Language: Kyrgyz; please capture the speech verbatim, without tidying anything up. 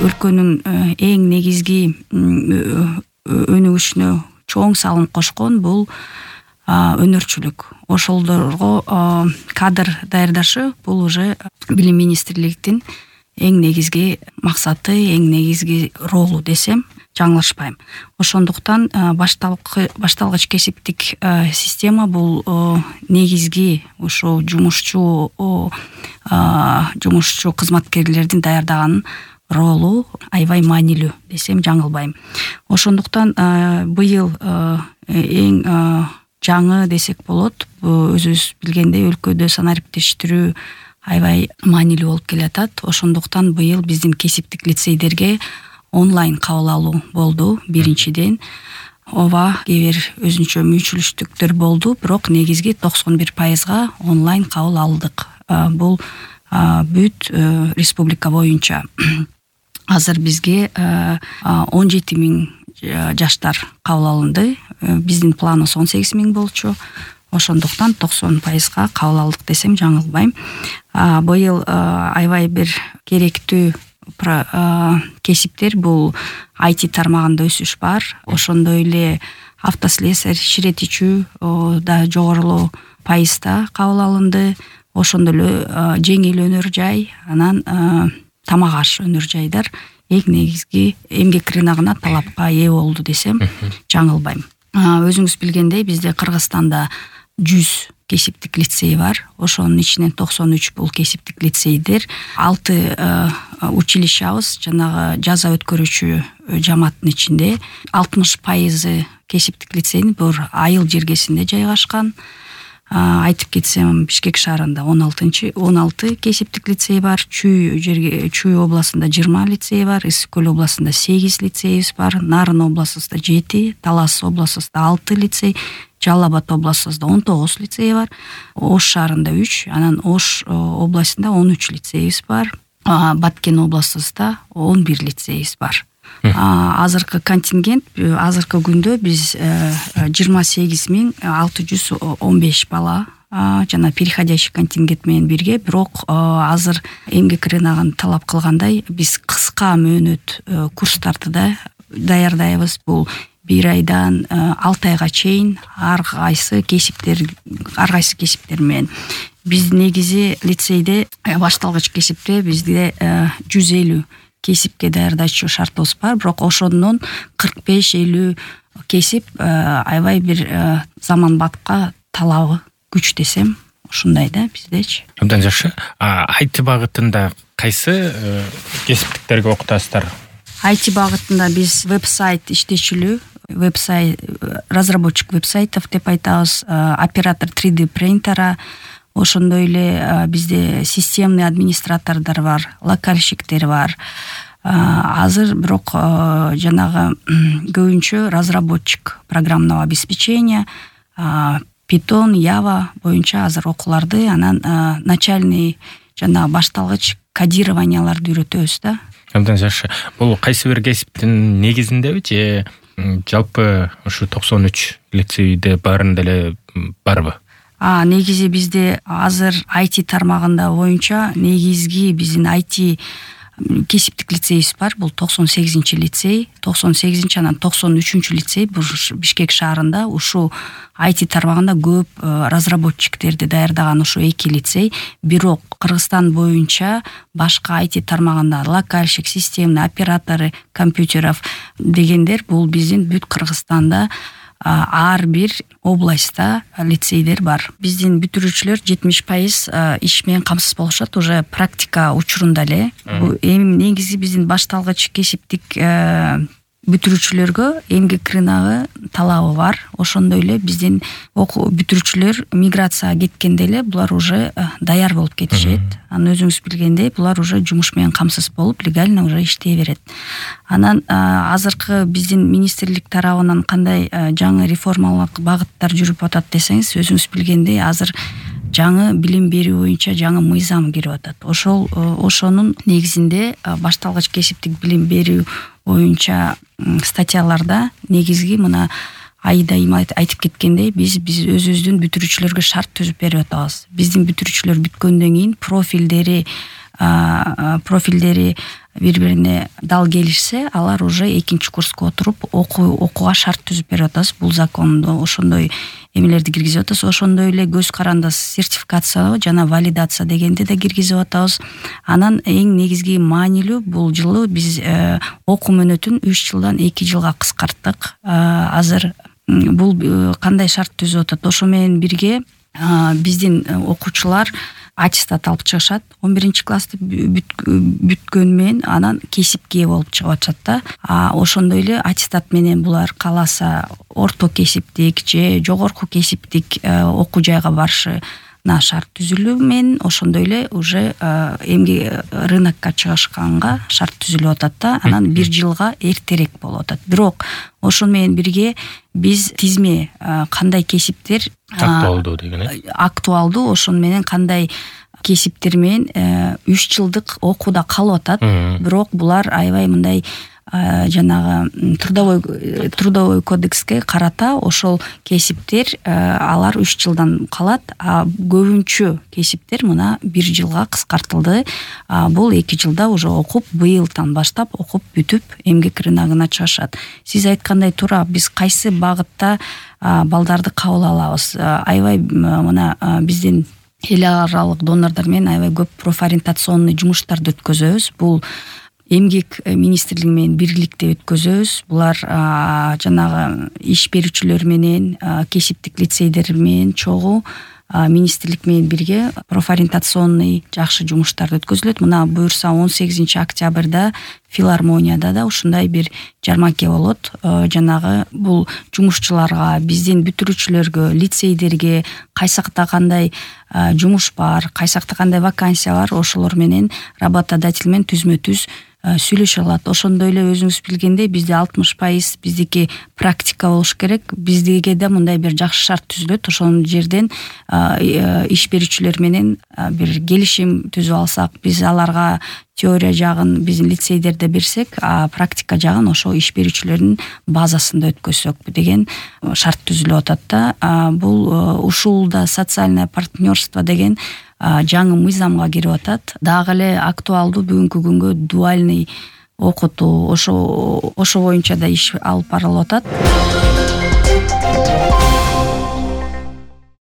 өлкөнүн эң негизги өнүгүшүнө чоң салым кошкон бул өнөрчүлүк. Ошолдорго кадр даярдашы бул уже билим министрлигинин эң негизги максаты, эң негизги ролу десем жаңылышпайм. Ошондуктан башталгыч кесиптик система бул негизги ушу жумушчу жумушчу кызматкерлердин даярдаганын ролу аябай маанилүү десем жаңылбайм. Ошондуктан быйыл эң жаңы десек болот. Өзүбүз билгендей өлкөдө санариптештирүү аябай маанилүү болуп келатат. Ошондуктан быйыл биздин кесиптик лицейдерге онлайн кабыл алуу болду. Биринчиден ооба кээ бир өзүнчө мүнчүлүштүктөр болду, бирок негизги токсон бир пайызга онлайн кабыл алдык. Бул бүт республика боюнча. Азыр бизге он жети миң жаштар кабыл алынды. Биздин планыбыз он сегиз миң болчу. Ошондуктан токсон пайызга кабыл алдык десем жаңылбайм. Быйыл аябай бир керектүү кесиптер бул ай ти тармагында өсүш бар. Ошондой эле автослесарь, ширетичүү да жогорулоо пайызда кабыл алынды. Ошондой эле жеңил өнөр жай, анан тамак аш өнөр жайдар эң негизги эмгек рыногуна талапка ээ болду десем жаңылбайм. Өзүңүз билгендей, бизде Кыргызстанда жүз кесиптик лицей бар. Ошонун ичинен токсон үч бул кесиптик лицейдер. алты училищабыз жанагы жаза өткөрүүчү жамааттын ичинде. алтымыш пайызы кесиптик лицейдин бир айыл жергесинде жайгашкан. Айтып кетсем, Бишкек шаарында он алты кесиптик лицей бар, Чүй жерге Чүй областында жыйырма лицей бар, Ысык көл областында сегиз лицейибиз бар, Нарын областында жети, Талас областында алты лицей, Жалал Абад областында он тогуз лицей бар, Ош шаарында үч, анан Ош областында он үч лицейибиз бар, Баткен областында он бир лицейибиз бар. Азыркы контингент, азыркы күндө биз жыйырма сегиз миң алты жүз он беш бала жана переходящий контингент менен бирге, бирок азыр эмгек рыногун талап кылгандай биз кыска мөөнөт курстарды да даярдайбыз. Бул бир айдан алты айга чейин ар кайсы кесиптер ар кайсы кесиптер менен. Биз негизи лицейде башталгыч кесипте бизде жүз элүү кесипке даярдачу шартыбыз бар, бирок ошондон кырк беш элүү кесип аябай бир заманбапка талабы күч десем ушундай да биздечи. Абдан жакшы. ай ти багытында кайсы кесиптиктерге окутасыздар? ай ти багытында биз веб-сайт иштечүлүү, веб-сайт разработчик веб-сайтов деп айтабыз, оператор три дэ принтера, ошондой эле бизде системный администратордор бар, локальщиктер бар. Азыр бирок жанагы көбүнчө разработчик программного обеспечения, Python, Java боюнча азыр окууларды, анан начальный жана башталгыч кодированияларды үйрөтөбүз да. Абдан жакшы. Бул кайсы бир кесиптин негизиндеби же жалпы ушу токсон үч лицейде баарында эле барбы? А негизи бизде азыр ай ти тармагында боюнча негизги биздин ай ти кесиптик лицейибиз бар. Бул токсон сегизинчи лицей, токсон сегизинчи анан токсон үчүнчү лицей Бишкек шаарында. Ушу ай ти тармагында көп разработчиктерди даярдаган ушу эки лицей. Бирок Кыргызстан боюнча башка ай ти тармагында локальщик, системный операторы компьютеров дегендер бул биздин бүт Кыргызстанда ар бир областта лицейдер бар. Биздин бүтүрүүчүлөр жетимиш пайыз иш менен камсыз болушат, уже практика учурунда эле. Бул эми негизи биздин башталгыч кесиптик бүтүрүүчүлөргө эмгек рыногу талабы бар. Ошондой эле биздин бүтүрүүчүлөр миграцияга кеткенде эле булар уже даяр болуп кетишет. Анан өзүңүз билгендей, булар уже жумуш менен камсыз болуп, легально уже иштей берет. Анан азыркы биздин министрлик тарабынан кандай жаңы реформалык багыттар жүрүп атат десеңиз, өзүңүз билгендей, азыр жаңы билим берүү боюнча жаңы мыйзам кирип атат. Ошол ошонун негизинде башталгыч кесиптик билим берүү боюнча статьяларда негизги мына Айда айтып кеткендей, биз биз өзүбүздүн бүтүрүүчүлөргө шарт түзүп берип атабыз. Биздин бүтүрүүчүлөр бүткөндөн кийин профилдери профилдери бири бирине дал келишсе, алар уже экинчи курска отуруп окууга шарт түзүп берип атабыз. Бул закондо ошондой эмелерди киргизип атабыз. Ошондой эле көз карандас сертификация жана валидация дегенди да киргизип атабыз. Анан эң негизги маанилүү бул жылы биз окуу мөөнөтүн үч жылдан эки жылга кыскарттык. Азыр бул кандай шарт түзүп атат? Ошо менен бирге биздин окуучулар аттестат алып чыгышат. он биринчи классты бүткөн менен анан кесипке ээ болуп чыгып атышат да. А ошондой эле аттестат менен булар кааласа орто кесиптик же жогорку кесиптик окуу жайга барышына шарт түзүлүү менен ошондой эле уже эмгек рынокко чыгышканга шарт түзүлүп атат да. Анан бир жылга эртерээк болуп атат. Бирок ошону менен бирге биз тизме кандай кесиптер актуалдуу деген э актуалдуу ошону менен кандай кесиптер менен үч жылдык окууда калып атат. Бирок булар аябай мындай жанагы трудовой трудовой кодекске карата ошол кесиптер алар үч жылдан калат, а көбүнчө кесиптер мына бир жылга кыскартылды. Бул эки жылда уже окуп, быйылдан баштап окуп бүтүп эмгек рыногуна чыгышат. Сиз айткандай туура, биз кайсы багытта балдарды кабыл алабыз? Аябай мына биздин эл аралык донорлор менен аябай көп профориентационный жумуштарды өткөзөбүз. Бул эмгек министрлиги менен бирликте өткөзөбүз. Булар жанагы иш берүүчүлөр менен, кесиптик лицейдер менен чогуу министрлик менен бирге профориентационный жакшы жумуштар өткөзүлөт. Мына буюрса он сегизинчи октябрда филармонияда да ушундай бир жарманке болот. Жанагы бул жумушчуларга, биздин бүтүрүүчүлөргө, лицейдерге кайсакта кандай жумуш бар, кайсакта кандай вакансия бар, ошолор менен работодатель менен түзмө-түз сүйлөшө алат. Ошондой эле өзүңүз билгендей бизде алтымыш пайыз биздики практика болуш керек. Биздиге да мындай бир жакшы шарт түзүлөт. Ошол жерден иш берүүчүлөр менен бир келишим түзүп алсак, биз аларга теория жагын биздин лицейдерде берсек, а практика жагын ошо иш берүүчүлөрдүн базасында өткөзсөк деген шарт түзүлүп атат да. Бул ушулда социальное партнерство деген жаңы мыйзамга кирип атат. Дагы эле актуалдуу бүгүнкү күнгө дуальный окутуу, ошо ошо боюнча да иш алып барылып атат.